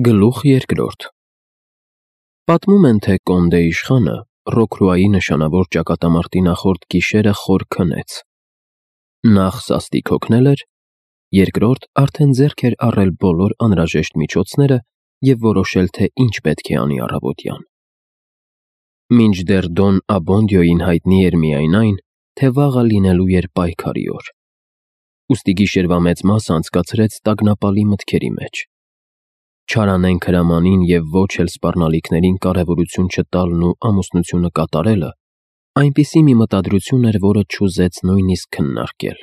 Գլուխ երկրորդ Պատմում են, թե Կոնդե իշխանը Ռոքրուայի նշանավոր ճակատամարտի նախորդ գիշերը խոր քնեց. նախ սաստիկ հոգնել էր, երկրորդ արդեն ձեռք էր առել բոլոր անհրաժեշտ միջոցները և որոշել, թե ինչ պետք է անի առավոտյան։ Մինչդեռ Դոն Աբոնդիոյին հայտնի էր միայն այն, թե վաղը լինելու էր պայքարի օր, ուստի գիշերվա մեծ մասը անցկացրեց տագնապալի մտքերի մեջ։ Չարանենգ հրամանին և ոչ էլ սպառնալիքներին կարևորություն չտալն ու ամուսնությունը կատարելը այնպիսի մի մտադրություն էր, որը չուզեց նույնիսկ քննարկել։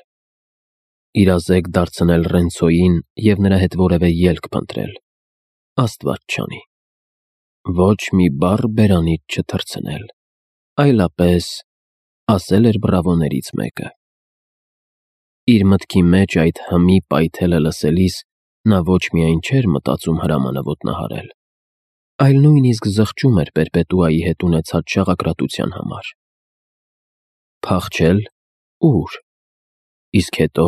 Իրազեկ դարձնել Ռենցոյին և նրա հետ որևէ ելք փնտրել, Աստված չանի։ Ոչ մի բառ բերանից չթռցնել, այլապես, ասել էր բրավոներից մեկը։ Իր մտքի մեջ այդ հմի պայթելը լսելիս նա ոչ միայն չէր մտածում հրամանը ոտնահարել, այլ նույնիսկ զղջում էր Պերպետուայի հետ ունեցած շաղակրատության համար։ Փախչել՝ ո՞ւր, իսկ հետո՝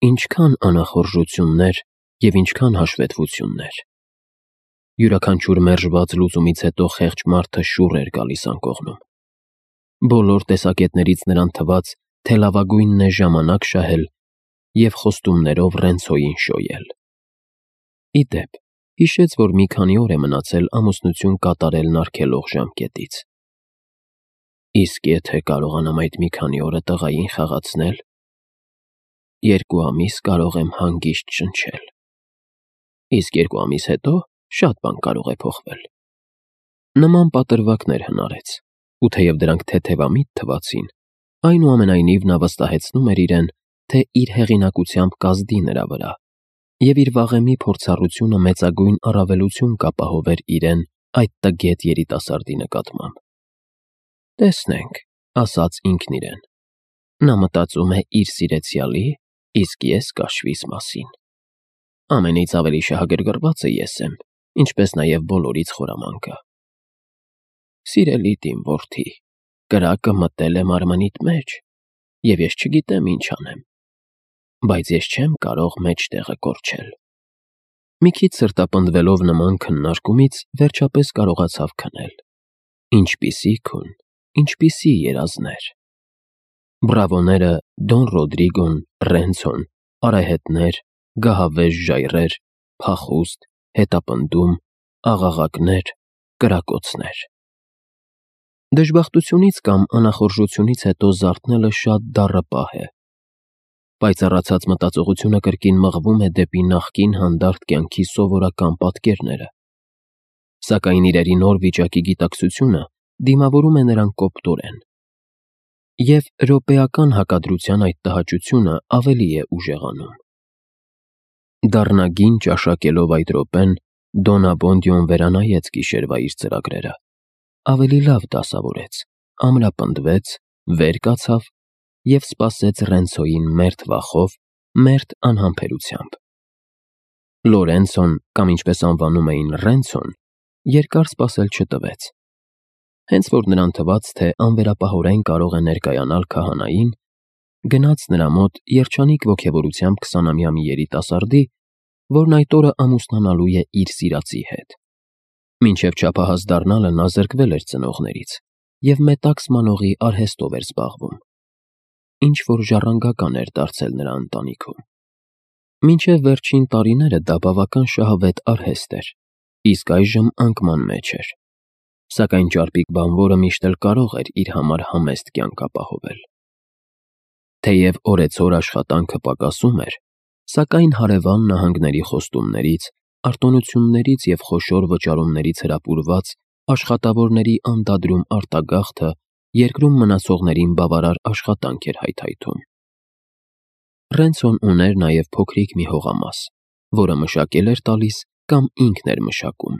ինչքան անախորժություններ և ինչքան հաշվետվություններ։ Յուրաքանչյուր մերժված լուծումից հետո խեղճ մարդը շուռ էր գալիս անկողնում։ Բոլոր տեսակետներից նրան թվաց, թե լավագույնն է ժամանակ շահել և խոստումներով Ռենցոյին շոյել։ Ի դեպ, հիշեց, որ մի քանի օր է մնացել ամուսնություն կատարելն արգելող ժամկետից։ Իսկ եթե կարողանամ այդ մի քանի օրը տղային խաղացնել, 2 ամիս կարող եմ հանգիստ շնչել։ Իսկ 2 ամիս հետո շատ բան կարող է փոխվել։ Նման պատրվակներ հնարեց, ու թեև դրանք թեթևամիտ թվացին, այնուամենայնիվ նա վստահեցնում էր իրեն, թե իր հեղինակությամբ կազդի նրա վրա, և իր վաղեմի փորձառությունը մեծագույն առավելություն կապահովեր իրեն այդ տգետ երիտասարդի նկատմամբ։ Տեսնենք, ասաց ինքն իրեն, նա մտածում է իր սիրեցյալի, իսկ ես կաշվիս մասին։ Ամենից ավելի շահագրգռվածը ես եմ, ինչպես նաև բոլորից խորամանկը։ Սիրելի իմ որդի, կրակը մտել է մարմնիդ մեջ, և ես չգիտեմ ինչ անեմ, բայց ես չեմ կարող մեջտեղը կորչել։ Մի քիչ սրտապնդվելով նման քննարկումից, վերջապես կարողացավ քնել։ Ինչպիսի քուն, ինչպիսի երազներ։ Բրավոները, Դոն Ռոդրիգոն, Ռենցոն, արահետներ, գահավեժ ժայռեր, փախուստ, հետապնդում, աղաղակներ, կրակոցներ։ Դժբախտությունից կամ անախորժությունից հետո զարթնելը շատ դառը պահ է։ Պայծառացած մտածողությունը կրկին մղվում է դեպի նախկին հանդարտ կյանքի սովորական պատկերները։ Սակայն իրերի նոր վիճակի գիտակցությունը դիմավորում է նրան կոպտորեն։ Եվ րոպեական հակադրության այդ տհաճությունը ավելի է ուժեղանում։ Դառնագին ճաշակելով այդ րոպեն, Դոն Աբոնդիոն վերանայեց գիշերվա իր ծրագրերը, ավելի լավ դասավորեց, ամրապնդվեց, վեր կացավ և սպասեց Ռենցոյին մերթ վախով, մերթ անհամբերությամբ։ Լորենցոն, կամ ինչպես անվանում էին Ռենցոն, երկար սպասել չտվեց։ Հենց որ նրան թվաց, թե անվերապահորեն կարող է ներկայանալ քահանային, գնաց նրա մոտ երջանիկ ոգևորությամբ 20-ամյա մի երիտասարդի, որն այդ օրը ամուսնանալու է իր սիրածի հետ։ Մինչև չափահաս դառնալը նա զրկվել էր ծնողներից և մետաքս մանողի արհեստով էր զբաղվում, ինչ-որ ժառանգական էր դարձել նրա ընտանիքում։ Մինչև վերջին տարիները դա բավական շահավետ արհեստ էր, իսկ այժմ անկման մեջ էր։ Սակայն ճարպիկ բանվորը միշտ էլ կարող էր իր համար համեստ կյանք ապահովել։ Թեև օրեցօր աշխատանքը պակասում էր, սակայն հարևան նահանգների խոստումներից, արտոնություններից և խոշոր վճարումներից հրապուրված աշխատավորների անդադրում արտագաղթը երկրում մնացողներին բավարար աշխատանք էր հայթայթում։ Ռենցոն ուներ նաև փոքրիկ մի հողամաս, որը մշակել էր տալիս կամ ինքն էր մշակում,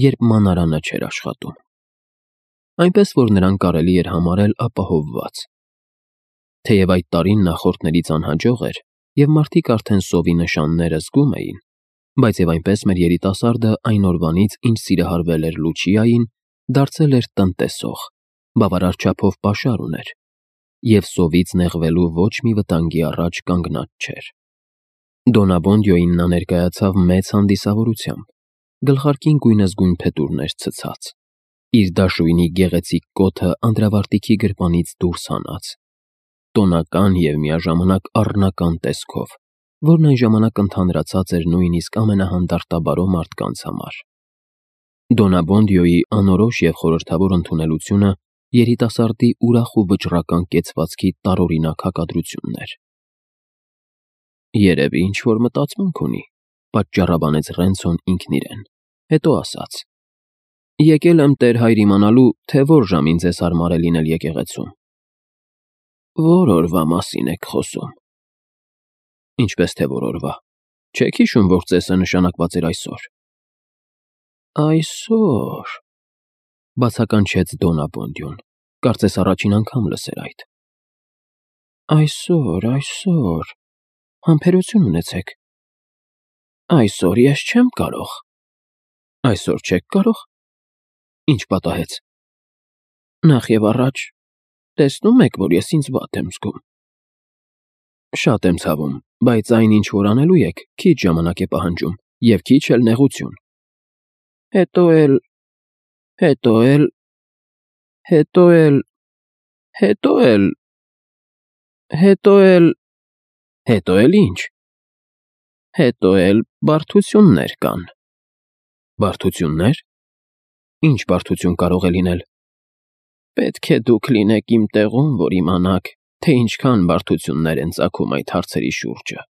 երբ մանարանը չէր աշխատում։ Այնպես որ նրան կարելի էր համարել ապահովված։ Թեև այդ տարին նախորդներից անհաջող էր, և մարդիկ արդեն սովի նշանները զգում էին, բայց և այնպես մեր երիտասարդը այն օրվանից, ինչ սիրահարվել էր Լուչիային, դարձել էր տնտեսող, բավարար չափով պաշար ուներ, և սովից նեղվելու ոչ մի վտանգի առաջ կանգնած չէր։ Դոն Աբոնդիոյին նա ներկայացավ մեծ հանդիսավորությամբ, գլխարկին գույնզգույն փետուրներ ցցած, իր դաշույնի գեղեցիկ կոթը անդրավարտիքի գրպանից դուրս հանած, տոնական և միաժամանակ առնական տեսքով, որն այն ժամանակ ընդհանրացած էր նույնիսկ ամենահանդարտաբարո մարդկանց համար։ Դոնաբոնդիոյի անորոշ և խորհրդավոր ընդունելությունը երիտասարդի ուրախ ու վճռական կեցվածքի տարօրինակ հակադրությունն էր։ Երևի ինչ-որ մտածմունք ունի, պատճառաբանեց Ռենցոն ինքն իրեն, հետո ասաց. Եկել եմ Տեր Հայր իմանալու, թե որ ժամին ձեզ հարմար է լինել եկեղեցում։ Որ օրվա մասին եք խոսում։ Ինչպես թե որ օրվա։ Չեք հիշում, որ ծեսը նշանակված էր այսօր։ Այսօր, բացականչեց Դոնաբոնդիոն, կարծես առաջին անգամ լսեր այդ։ Այսօր, համբերություն ունեցեք։ Այսօր ես չեմ կարող։ Այսօր չեք կարող։ Ինչ պատահեց։ Նախ և առաջ, տեսնում եք, որ ես ինձ վատ եմ զգում։ Շատ եմ ցավում, բայց այն, ինչ որ անելու եք, քիչ ժամանակ է պահանջում և քիչ էլ նեղություն։ Հետո էլ ինչ։ Հետո էլ բարդություններ կան։ Բարդություննե՞ր։ Ինչ բարդություն կարող է լինել։ Պետք է դուք լինեք իմ տեղում, որ իմանաք, թե ինչքան բարդություններ են ծագում այդ հարցերի շուրջը,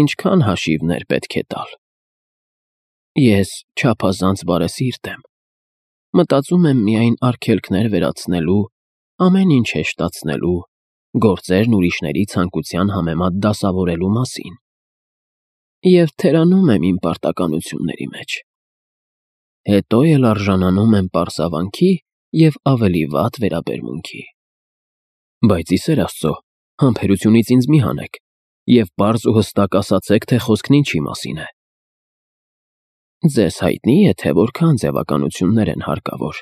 ինչքան հաշիվներ պետք է տալ։ Ես չափազանց բարեսիրտ եմ։ Մտածում եմ միայն արգելքներ վերացնելու, ամեն ինչ հեշտացնելու, գործերն ուրիշների ցանկության համեմատ դասավորելու մասին։ Եվ թերանում եմ իմ պարտականությունների մեջ։ Հետո էլ արժանանում եմ պարզավանքի և ավելի վատ վերաբերմունքի։ Բայց ի սեր Աստծո, համբերությունից ինձ մի հանեք և պարզ ու հստակ ասացեք, թե խոսքն ինչի մասին է։ Ձեզ հայտնի է, թե որքան ձևականություններ են հարկավոր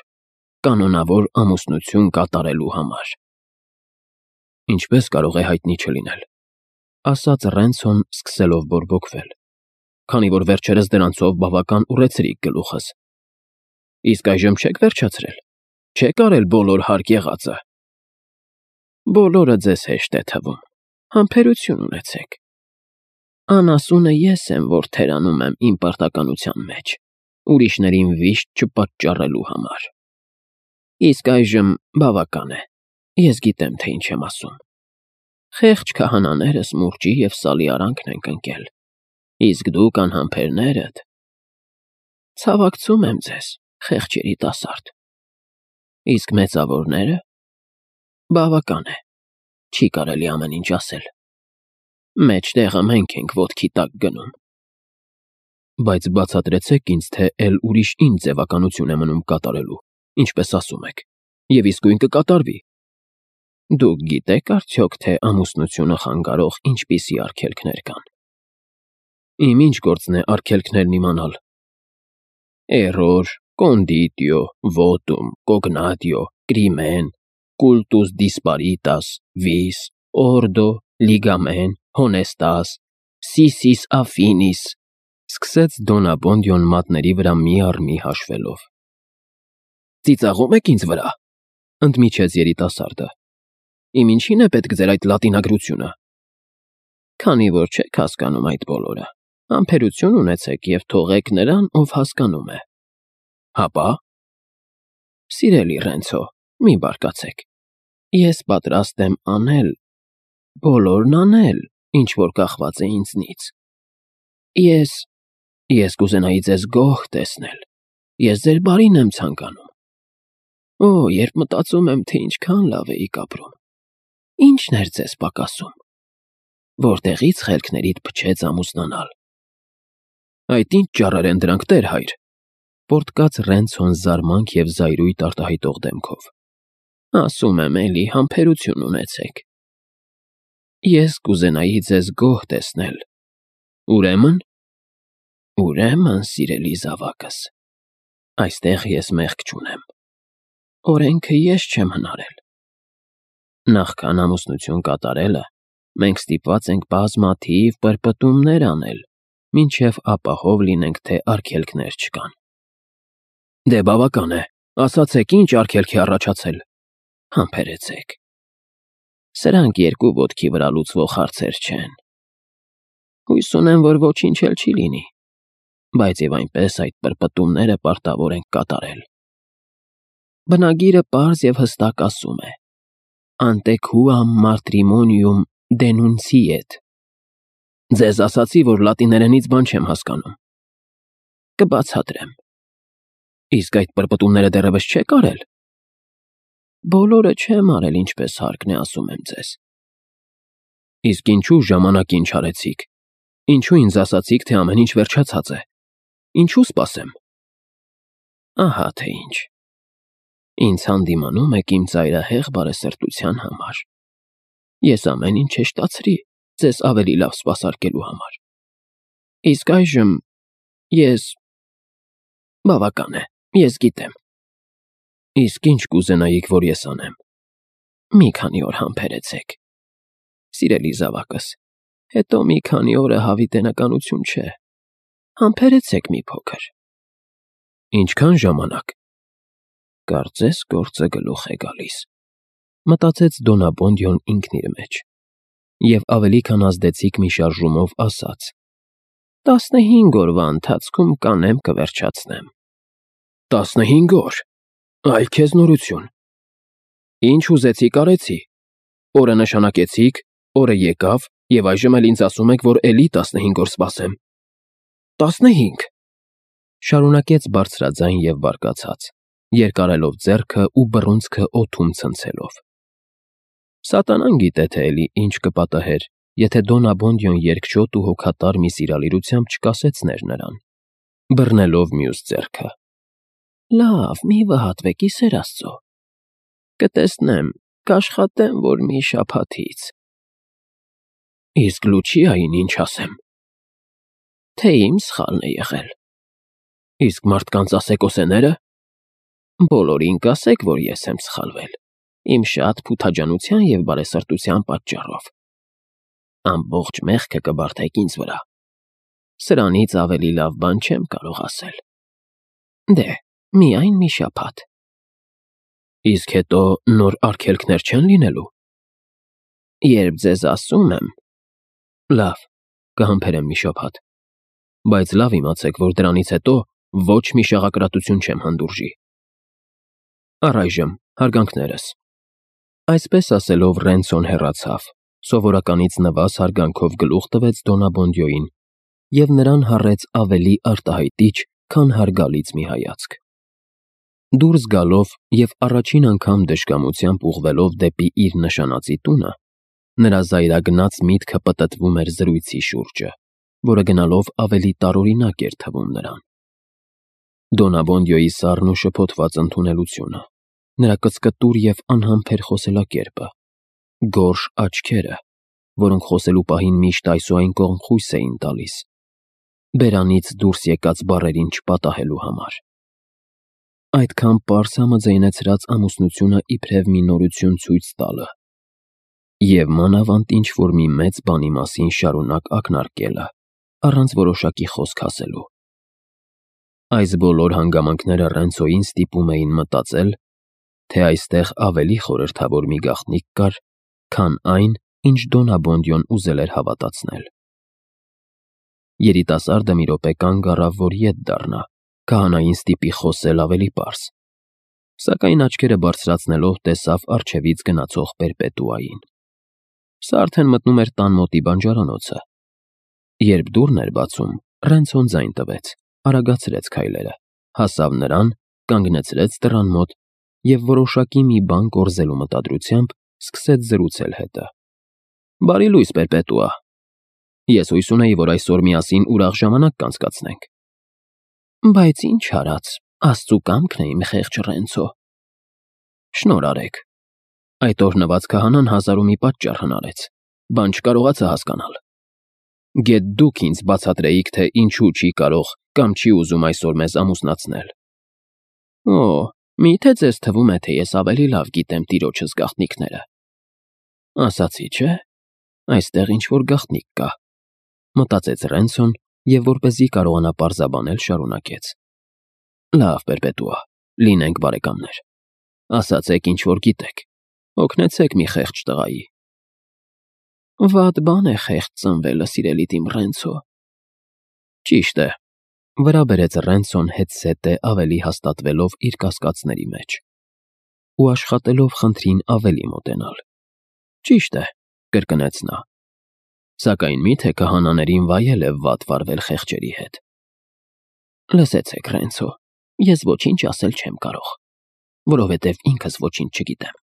կանոնավոր ամուսնություն կատարելու համար։ Ինչպես կարող է հայտնի չլինել, ասաց Ռենցոն, սկսելով բորբոքվել, քանի որ վերջերս դրանցով բավական ուռեցրիք գլուխս։ Իսկ այժմ չեք վերջացրել։ Չեք արել բոլոր հարկ եղածը։ Բոլորը ձեզ հեշտ է թվում։ Համբերություն ունեցեք։ Անասունը ես եմ, որ թերանում եմ իմ պարտականության մեջ, ուրիշներին վիշտ չպատճառելու համար։ Իսկ այժմ բավական է։ Ես գիտեմ, թե ինչ եմ ասում։ Խեղճ քահանաներս մուրճի և սալի արանքն են ընկել, իսկ դուք անհամբերներդ… Ցավակցում եմ ձեզ, խեղճ երիտասարդ։ Իսկ մեծավորները… Բավական է, չի կարելի ամեն ինչ ասել։ Մեջտեղը մենք ենք ոտքի տակ գնում։ Բայց բացատրեցեք ինձ, թե էլ ուրիշ ինչ ձևականություն է մնում կատարելու, ինչպես ասում եք, և իսկույն կկատարվի։ Դուք գիտեք արդյոք, թե ամուսնությունը խանգարող ինչպիսի արգելքներ կան։ Իմ ինչ գործն է արգելքներն իմանալ։ Էրոր, կոնդիտիո, վոտում, կոգնատիո, կրիմեն, կուլտուս դիսպարիտաս, վիս, օրդո, լիգամեն, հոնեստաս, սիսիս աֆինիս, սկսեց Դոնաբոնդիոն մատների վրա մի առ մի հաշվելով։ Ծիծաղում եք ինձ վրա, ընդմիջեց երիտասարդը։ Իմ ինչին է պետք ձեր այդ լատինագրությունը։ Քանի որ չեք հասկանում այդ բոլորը, համբերություն ունեցեք և թողեք նրան, ով հասկանում է։ Հապա։ Սիրելի Ռենցո, մի բարկացեք։ Ես պատրաստ եմ անել, բոլորն անել, ինչ որ կախված է ինձնից։ Ես կուզենայի ձեզ գոհ տեսնել։ Ես ձեր բարին եմ ցանկանում։ Օ, երբ մտածում եմ, թե ինչքան լավ էիք ապրում։ Ի՞նչն էր ձեզ պակասում։ Որտեղի՞ց խելքներիդ փչեց ամուսնանալ։ Այդ ինչ ճառեր են դրանք, Տեր Հայր, պոռթկաց Ռենցոն զարմանք և զայրույթ արտահայտող դեմքով։ Ասում եմ էլի, համբերություն ունեցեք։ Ես կուզենայի ձեզ գոհ տեսնել։ Ուրեմն, սիրելի զավակս, այստեղ ես մեղք չունեմ։ Օրենքը ես չեմ հնարել։ Նախքան ամուսնություն կատարելը, մենք ստիպված ենք բազմաթիվ պրպտումներ անել, մինչև ապահով լինենք, թե արգելքներ չկան։ Դե բավական է, ասացեք ինչ արգելք է առաջացել։ Համբերեցեք։ Սրանք երկու ոտքի վրա լուծվող հարցեր չեն։ Հույս ունեմ, որ ոչինչ էլ չի լինի, բայց եւ այնպես այդ պրպտումները պարտավոր ենք կատարել։ Բնագիրը պարզ եւ հստակ ասում է. «Ante quam matrimonium denunciet»։ Ձեզ ասացի, որ լատիներենից բան չեմ հասկանում։ Կբացատրեմ։ Իսկ այդ պրպտումները դեռևս չեք արել։ Բոլորը չեմ արել, ինչպես հարկն է, ասում եմ ձեզ։ Իսկ ինչու ժամանակին չարեցիք։ Ինչու ինձ ասացիք, թե ամեն ինչ վերջացած է։ Ինչու սպասեմ։ Ահա թե ինչ։ Ինձ հանդիմանում եք իմ ծայրահեղ բարեսրտության համար։ Ես ամեն ինչ շեշտացրի ձեզ ավելի լավ սպասարկելու համար։ Իսկ այժմ ես… Բավական է, ես գիտեմ։ Իսկ ինչ կուզենայիք, որ ես անեմ։ Մի քանի օր համբերեցեք։ Սիրելի զավակս, հետո մի քանի օրը հավիտենականություն չէ։ Համբերեցեք մի փոքր։ Ինչքան ժամանակ։ Կարծես գործը գլուխ է գալիս, մտածեց Դոնաբոնդյոն ինքն իր մեջ, և ավելի քան ազդեցիկ մի շարժումով ասաց. 15 օրվա ընթացքում կանեմ կվերջացնեմ։ 15 օր, այ քեզ նորություն։ Ինչ ուզեցիք արեցի, օրը նշանակեցիք, օրը եկավ, և այժմ էլ ինձ ասում եք, որ էլի 15 օր սպասեմ։ 15, շարունակեց բարձրաձայն և բարկացած, երկարելով ձեռքը ու բռունցքը օդում ցնցելով։ Սատանան գիտե թե էլի ինչ կպատահեր, եթե Դոնաբոնդյոն երկչոտ ու հոգատար մի սիրալիրությամբ չկասեցներ նրան, բռնելով մյուս ձեռքը։ Լավ, մի վհատվեք, ի սեր Աստծո։ Կտեսնեմ, կաշխատեմ, որ մի շաբաթից։ Իսկ Լուչիային ինչ ասեմ։ Թե իմ սխալն է եղել։ Իսկ մարդկանց ասեկոսեները։ Բոլորին կասեք, որ ես եմ սխալվել, իմ շատ փութաջանության և բարեսրտության պատճառով։ Ամբողջ մեղքը կբարդեք ինձ վրա։ Սրանից ավելի լավ բան չեմ կարող ասել։ Դե, միայն մի շաբաթ։ Իսկ հետո նոր արգելքներ չեն լինելու։ Երբ ձեզ ասում եմ… Լավ, կհամբերեմ մի շաբաթ, բայց լավ իմացեք, որ դրանից հետո ոչ մի շաղակրատություն չեմ հանդուրժի։ Առայժմ հարգանքներս։ Այսպես ասելով Ռենցոն հեռացավ, սովորականից նվազ հարգանքով գլուխ տվեց Դոնաբոնդյոին և նրան հառեց ավելի արտահայտիչ, քան հարգալից մի հայացք։ Դուրս գալով և առաջին անգամ դժկամությամբ ուղղվելով դեպի իր նշանածի տունը, նրա զայրագնաց միտքը պտտվում էր զրույցի շուրջը, որը գնալով ավելի տարօրինակ էր թվում նրան։ Դոնաբոնդյոյի սառն ու շփոթված ընդունելությունը, նրա կծկտուր և անհամբեր խոսելակերպը, գորշ աչքերը, որոնք խոսելու պահին միշտ այս ու այն կողմ խույս էին տալիս, բերանից դուրս եկած բառերին չպատահելու համար։ Այդքան պարզ համաձայնեցրած ամուսնությունը իբրև մի նորություն ցույց տալը և մանավանդ ինչ-որ մի մեծ բանի մասին շարունակ ակնարկելը, առանց որոշակի խոսք ասելու։ Այս բոլոր հանգամանքները Ռենցոյին ստիպում էին մտածել, թե այստեղ ավելի խորհրդավոր մի գաղտնիք կար, քան այն, ինչ Դոնաբոնդյոն ուզել էր հավատացնել։ Երիտասարդը մի րոպե կանգ առավ, որ ետ դառնա, քահանային ստիպի խոսել ավելի պարզ, սակայն աչքերը բարձրացնելով տեսավ առջևից գնացող Պերպետուային։ Սա արդեն մտնում էր տան մոտի բանջարանոցը։ Երբ դուռն էր բացում, Ռենցոն ձայն տվեց, արագացրեց քայլերը, հասավ նրան, կանգնեցրեց դռան մոտ և որոշակի մի բան կորզելու մտադրությամբ սկսեց զրուցել հետը։ Բարի լույս, Պերպետուա։ Ես հույս ունեի, որ այսօր միասին ուրախ ժամանակ կանցկացնենք։ Բայց ինչ արած, Աստծու կամքն է իմ խեղճ Ռենցո։ Շնորհ արեք։ Այդ օրհնված քահանան հազար ու մի պատճառ հնարեց, բան չկարողացա հասկանալ։ Գեթ դուք ինձ բացատրեիք, թե ինչու չի կարող կամ չի ուզում այսօր մեզ ամուսնացնել։ Օ, միթե ձեզ թվում է, թե ես ավելի լավ գիտեմ տիրոջս գաղտնիքները։ Ասացի, չէ՞, այստեղ ինչ-որ գաղտնիք կա, մտածեց Ռենցոն և որպեսզի կարողանա պարզաբանել, շարունակեց. Լավ, Պերպետուա, լինենք բարեկամներ։ Ասացեք, ինչ որ գիտեք, օգնեցեք մի խեղճ տղայի։ Վատ բան է խեղճ ծնվելը, սիրելի իմ Ռենցո։ Ճիշտ է, վրա բերեց Ռենցոն հետզհետե ավելի հաստատվելով իր կասկածների մեջ ու աշխատելով խնդրին ավելի մոտենալ։ Ճիշտ է, կրկնեց նա։ Սակայն միթե քահանաներին վայել է վատ վարվել խեղճերի հետ։ Լսեցեք, Ռենցո, ես ոչինչ ասել չեմ կարող, որովհետև ինքս ոչինչ չգիտեմ։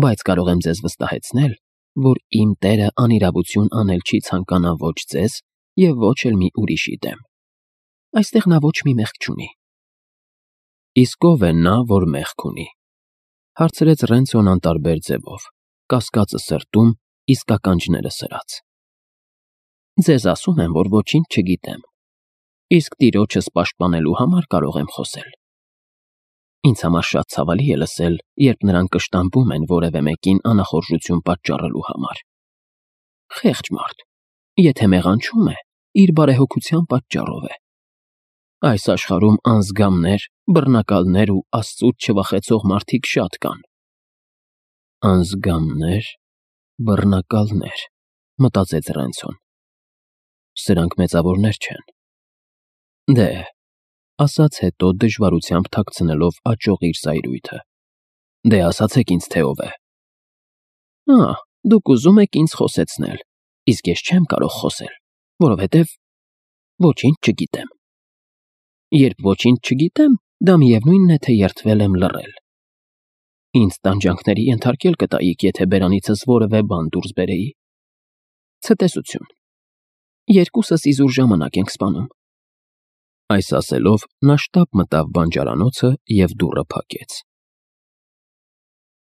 Բայց կարող եմ ձեզ վստահեցնել, որ իմ տերը անիրավություն անել չի ցանկանա ոչ ձեզ և ոչ էլ մի ուրիշի դեմ։ Այստեղ նա ոչ մի մեղք չունի։ Իսկ ով է նա, որ մեղք ունի, հարցրեց Ռենցոն անտարբեր ձևով, կասկածը սրտում, իսկ ականջները սրած։ Ձեզ ասում եմ, որ ոչինչ չգիտեմ, իսկ տիրոջս պաշտպանելու համար կարող եմ խոսել։ Ինձ համար շատ ցավալի է լսել, երբ նրանք կշտամբում են որևէ մեկին անախորժություն պատճառելու համար։ Խեղճ մարդ, եթե մեղանչում է, իր բարեհոգության պատճառով է։ Այս աշխարհում անզգամներ, բռնակալներ ու Աստծուց չվախեցող մարդիկ շատ կան։ Անզգամներ, բռնակալներ, մտածեց Ռենցոն։ Սրանք մեծավորներ չեն։ Դե, ասաց հետո դժվարությամբ թաքցնելով աճող իր սայրույթը։ Դե ասացեք ինձ, թե ով է։ Դուք ուզում եք ինձ խոսեցնել, իսկ ես չեմ կարող խոսել, որովհետև ոչինչ չգիտեմ։ Երբ ոչինչ չգիտեմ, դա միևնույնն է, թե երդվել եմ լռել։ Ինձ տանջանքների ենթարկել կտայիք, եթե բերանիցս որևէ բան դուրս բերեի։ Ցտեսություն։ Երկուսս իզուր ժամանակ ենք սպանում։ Այս ասելով նա շտապ մտավ բանջարանոցը և դուռը փակեց։